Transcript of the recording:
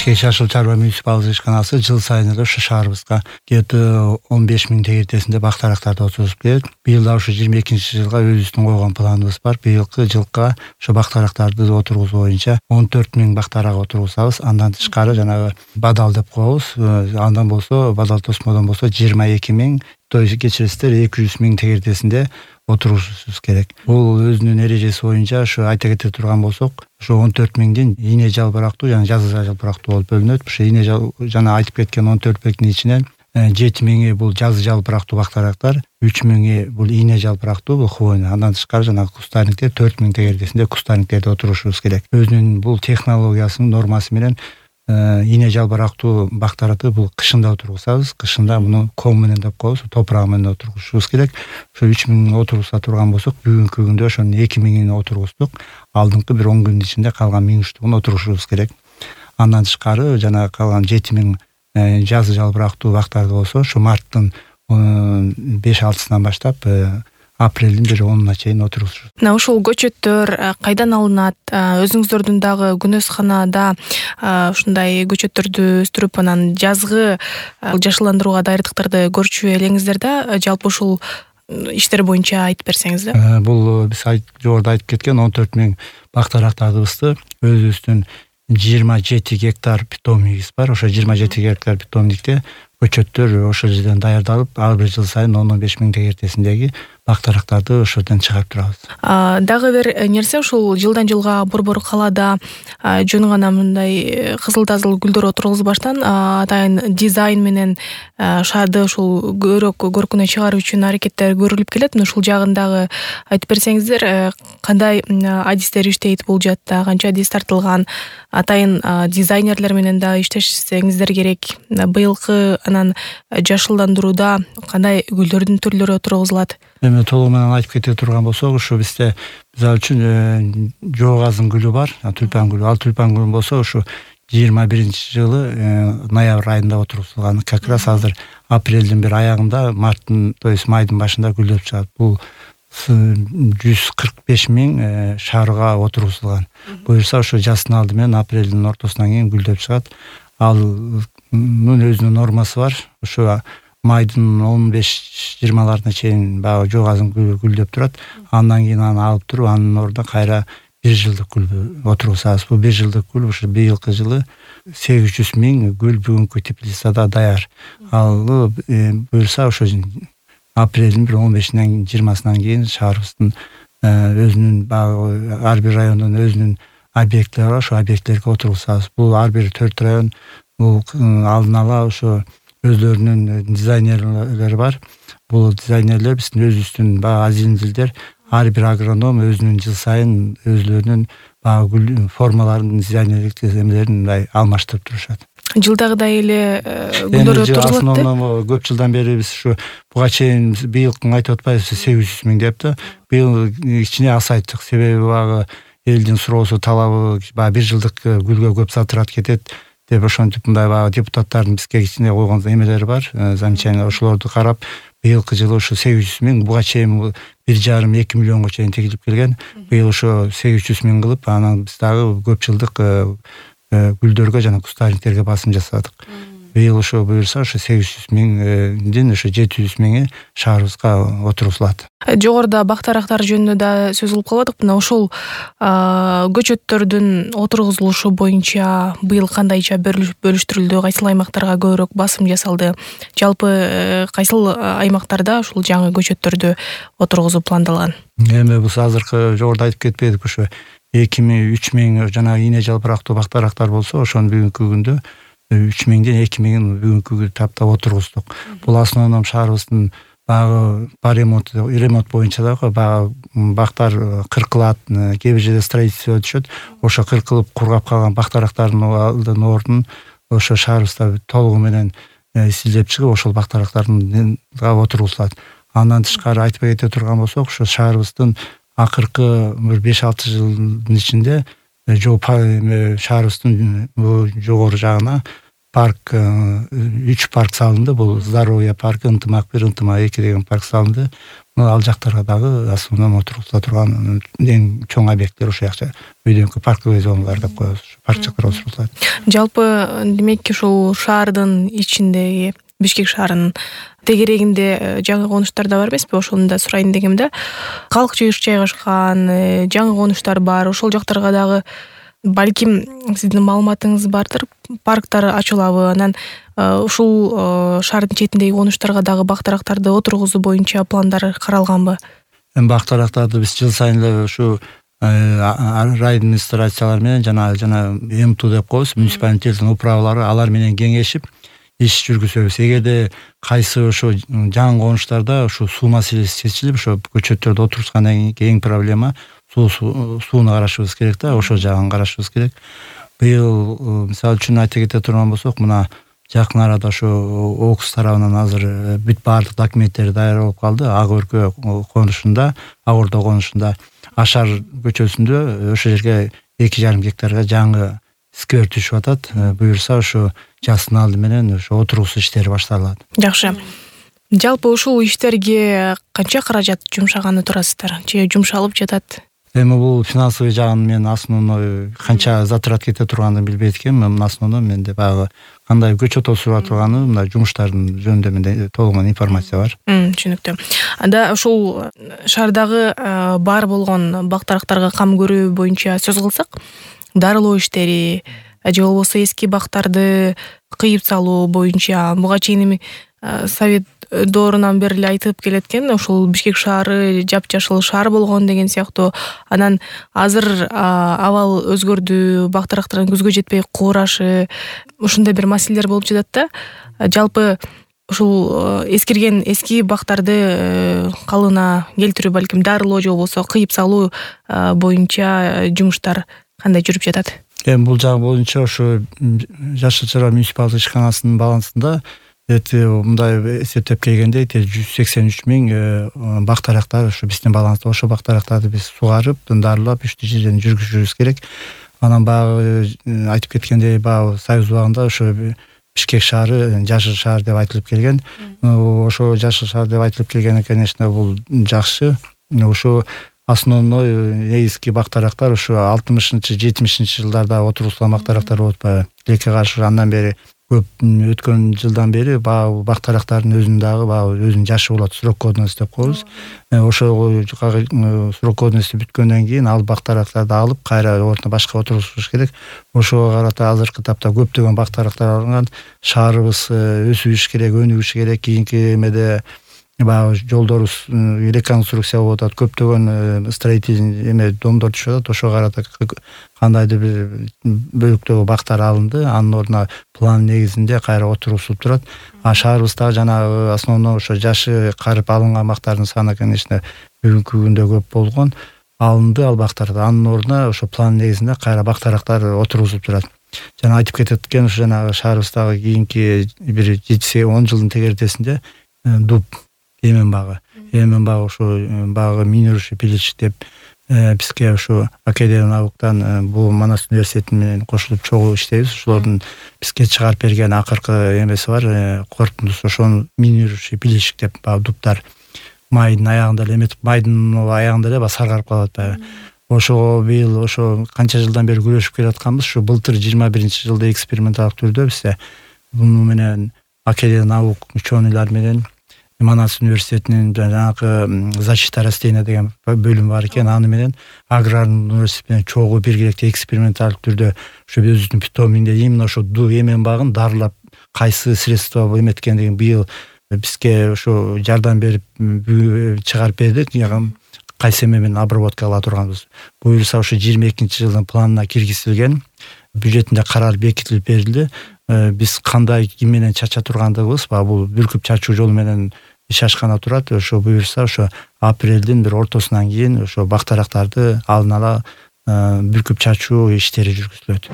Бишкек Жашыл чарба муниципалдык ишканасы жыл сайын эле ушу шаарыбызга где-то 15 000 тегертесинде бактарактарды отургузуп келет. Быйыл да ушу 22-жылга өзүбүздүн койгон планыбыз бар. Быйылкы жылга ошо бактарактарды отургузуу боюнча 14 000 бактарак отургузабыз. Андан тышкары жанагы бадал деп коебуз. Андан болсо бадал тосмодон болсо 22 000, то есть кечиресиздер 200 000 тегертесинде отургузушубуз керек. Бул өзүнүн эрежеси боюнча ушу айта кете турган болсок, ушу 14 000дин ийне жалбырактуу жана жазы жалбырактуу болуп бөлүнөт. Ушу ийне жана айтып кеткен 14 000дин ичинен 7 000 бул жазы жалбырактуу бактарактар, 3 000 бул ийне жалбырактуу, бул хвойный. Андан тышкары жана кустарниктер 4 000 тегертесинде кустарниктерде отурушубуз керек. Өзүнүн бул технологиясынын нормасы менен ийне жалбырактуу бактаракты бул кышында отургузабыз. Кышында муну ком менен деп коебуз, топурак менен отургузушубуз керек. Ошо 3 000 отургуза турган болсок, бүгүнкү күндө ошонун 2 000 отургуздук. Алдыңкы бир 10 күндүн ичинде калган 1000 отургузушубуз керек. Андан тышкары жана калган 7 000 жазы жалбырактуу бактарды болсо, ошо марттын 5-6-сынан баштап апрелдин 10-уна чейин отургузушубуз. Мына ушул көчөттөр кайдан алынат? Өзүңүздөрдүн дагы күнөзканада ушундай көчөттөрдү өстүрүп, анан жазгы жашылдандырууга даярдыктарды көрчү элеңиздер да, жалпы ушул иштер боюнча айтып берсеңиз да. Бул биз жогоруда айтып кеткен 14 000 бактарактарыбызды өзүбүздүн 27 гектар питомнигибиз бар. Ошо 27 гектар питомникте көчөттөр ошол жерден даярдалып, ар бир жыл сайын 10-15 000 тегертесиндеги бактарактарды ошол жерден чыгарып турабыз. Дагы бир нерсе, ушул жылдан жылга борбор калаада жөн гана мындай кызыл-тазыл гүлдөр отургузбаштан атайын дизайн менен шаарды ушул көркүнө чыгаруу үчүн аракеттер көрүлүп келет. Ушул жагын дагы айтып берсеңиздер, кандай адистер иштейт бул жаатта, канча адис тартылган, атайын дизайнерлер менен да иштешсеңиздер керек. Быйылкы анан жашылдандырууда кандай гүлдөрдүн түрлөрү отургузулат? Эми толугу менен айтып кете турган болсок, ушу бизде мисалы үчүн жоогазын гүлү бар, тюльпан гүлү. Ал тюльпан гүлү болсо ушу 21-жылы ноябрь айында отургузулган. Как раз азыр апрелдин бир аягында, марттын, то есть майдын башында гүлдөп чыгат. Бул 145 000 шаарга отургузулган. Буюрса ошо жаздын алды менен апрелдин ортосунан кийин гүлдөп чыгат. Ал өзүнүн нормасы бар. Ошо майдын 15-20 чейин баягы жоогазын гүлдөп турат. Андан кийин аны алып туруп, анын ордуна кайра 1 жылдык гүл отургузабыз. Бул 1 жылдык гүл ушу быйылкы жылы 800 000 гүл бүгүнкү теплицада даяр. Ал буюрса ошо апрелдин 15-синен 20-сынан кийин шаарыбыздын өзүнүн баягы ар бир райондун өзүнүн объекттери бар, ошо объекттерге отургузабыз. Бул ар бир 4 район бул алдын ала ошо өзлөрүнүн дизайнерлери бар. Бул дизайнерлер биздин өзүбүздүн баягы азизилдер, ар бир агроном өзүнүн жыл сайын өзлөрүнүн баягы гүл формаларын, дизайнерлик эмелерин мындай алмаштырып турушат. Жылдагыдай эле гүлдөр отургузулат да? Көп жылдан бери биз ушу буга чейин быйылкын айтып атпайбыз, 800 000 деп да. Быйыл кичине азайттык. Себеби баягы элдин суроосу, талабы баягы 1 жылдык гүлгө көп затрат кетет деп ошентип мындай баягы депутаттардын бизге кичине койгон эмелери бар, замечаниялар. Ошолорду карап быйылкы жылы ушу 800 000, буга чейин 1,5-2 миллионго чейин тегилип келген. Быйыл ошо 800 000 кылып, анан биз дагы көп жылдык гүлдөргө жана кустарниктерге басым жасадык. Быйыл ошо буюрса ошо 800 000дин ошо 700 000 шаарыбызга отургузулат. Жогоруда бактарактар жөнүндө да сөз кылып калбадык. Мына ушул көчөттөрдүн отургузулушу боюнча быйыл кандайча бөлүштүрүлдү, кайсыл аймактарга көбүрөөк басым жасалды? Жалпы кайсыл аймактарда ушул жаңы көчөттөрдү отургузуу пландалган? Эми биз азыркы жогоруда айтып кетпедик, ошо 2 000, 3 000 жана ийне жалбырактуу бактарактар болсо, ошонун бүгүнкү күндө 3 000ден 2 000 бүгүнкү таптап отургуздук. Бул основном шаарыбыздын баягы ремонт боюнча дагы баягы бактар кыркылат, кээ бир жерде строительство өтүшөт. Ошо кыркылып кургап калган бактарактардын ордун ошо шаарыбызда толугу менен исилдеп чыгып, ошол бактарактардын отургузулат. Андан тышкары айтып кете турган болсок, ошо шаарыбыздын акыркы 5-6 жылдын ичинде шаарыбыздын жогору жагына парк 3 парк салынды. Бул Здоровье паркы, Ынтымак 1, Ынтымак 2 деген парк салынды. Ал жактарга дагы основном отургузула турган эң чоң объекттер ошол жакча өйдөнкү парковый зоналар деп коебуз. Парк жактар отургузулат. Жалпы демек ушул шаардын ичиндеги Бишкек шаарынын тегерегинде жаңы конуштар да бар эмеспи? Ошону да сурайын дегем да. Калк жайгашкан, жаңы конуштар бар. Ошол жактарга дагы балким сиздин маалыматыңыз бардыр. Парктар ачылабы? Анан ушул шаардын четиндеги конуштарга дагы бактарактарды отургузуу боюнча пландар каралганбы? Бактарактарды биз жыл сайын эле ушу райадминистрациялар менен жана МТУ деп коебуз, муниципалитеттин управалары алар менен кеңешип иш жүргүзөбүз. Эгерде кайсы ошо жаңы конуштарда ошо суу маселеси чечилип, ошо көчөттөрдү отургузгандан кийин эң проблема сууну карашыбыз керек да, ошол жагын карашыбыз керек. Быйыл мисалы үчүн айта кете турган болсок, мына жакын арада ошо ОКС тарабынан азыр бүт баардык документтери даяр болуп калды. Ак Өркө конушунда, Ак Ордо конушунда Ашар көчөсүндө ошол жерге 2,5 гектарга жаңы сквер түшүп атат. Буюрса ошо жаздын алды менен ошо отургузуу иштери башталат. Жакшы. Жалпы ушул иштерге канча каражат жумшаганы турасыздар? Же жумшалып жатат? Эми бул финансовый жагын мен основной канча затрат кете турганын билбейт экенмин. Основной менде баягы кандай көчөт отуруп турганы, мына жумуштардын жөнүндө менде толугун информация бар. Түшүнүктүү. Анда ушул шаардагы бар болгон бактарактарга кам көрүү боюнча сөз кылсак, дарылоо иштери же болбосо эски бактарды кыйып салуу боюнча буга чейин эми Совет доорунан бери эле айтып келеткен, ушул Бишкек шаары жапжашыл шаар болгон деген сыяктуу. Анан азыр абал өзгөрдү, бактарактардын көзгө жетпей куурашы, ушундай бир маселелер болуп жатат да. Жалпы ушул эскирген эски бактарды калыбына келтирүү, балким дарылоо же болбосо кыйып салуу боюнча жумуштар кандай жүрүп жатат? Бул жагы боюнча ошо Жашыл Чыра муниципалдык ишканасынын балансында мындай эсептеп келгенде 183 000 бактарактар ошо биздин баланста. Ошо бактарактарды биз сугарып, дарылап, иштүү жерден жүргүзүшүбүз керек. Анан баягы айтып кеткендей, баягы Союз убагында ошо Бишкек шаары жашыл шаар деп айтылып келген. Ошо жашыл шаар деп айтылып келгени, конечно, бул жакшы. Ошо основной негизги бактарактар ошо 60-70 жылдарда отургузулган бактарактар болуп атпайбы. Тилекке каршы андан бери көп өткөн жылдан бери баягы бактарактардын өзүнүн дагы баягы өзүнүн жашы болот, срок годности деп коебуз. Ошол срок годности бүткөндөн кийин ал бактарактарды алып кайра ордуна башка отургузуш керек. Ошого карата азыркы тапта көптөгөн бактарактар алынган. Шаарыбыз өсүш керек, өнүгүш керек. Кийинки эмеде баягы жолдорубуз реконструкция болуп атат, көптөгөн строительный домдор түшүп атат. Ошого карата кандайдыр бир бөлүктөгү бактар алынды, анын ордуна план негизинде кайра отургузулуп турат. Шаарыбызда жанагы основной ошо жашы карып алынган бактардын саны, конечно, бүгүнкү күндө көп болгон. Алынды ал бактарды, анын ордуна ошо план негизинде кайра бактарактар отургузулуп турат. Жана айтып кеткен ошо жанагы шаарыбыздагы кийинки бир 7-10 жылдын тегердесинде дуб Эмен багы ошо багы минирующий пилич деп бизге ошо Академия науктан бул Манас университети менен кошулуп чогуу иштейбиз. Ошолордун бизге чыгарып берген акыркы эмеси бар, корутундусу ошону минирующий пилич деп багы дубтар майдын аягында эле эметип, майдын аягында эле саргарып калып атпайбы. Ошого быйыл ошо канча жылдан бери күрөшүп келатканбыз. Ушу былтыр 21-жылда эксперименталык түрдө бизде буну менен Академия наук ученыйлар менен Манас университетинин жанагы защита растения деген бөлүм бар экен. Аны менен аграрный университет менен чогуу биргеликте эксперименталдык түрдө ошо өзүбүздүн питоминде именно ошо эмен багын дарылап кайсы средства эметкендигин быйыл бизге ошо жардам берип чыгарып бердик. Кайсы эме менен обработка кыла турганбыз. Буюрса ошо 22-жылдын планына киргизилген, бюджетинде каралып бекитилип берилди. Биз кандай ким менен чача тургандыгыбыз, бул бүркүп чачуу жолу менен иш ашкана турат. Ошо буюрса ошо апрелдин бир ортосунан кийин ошо бактарактарды алдын ала бүркүп чачуу иштери жүргүзүлөт.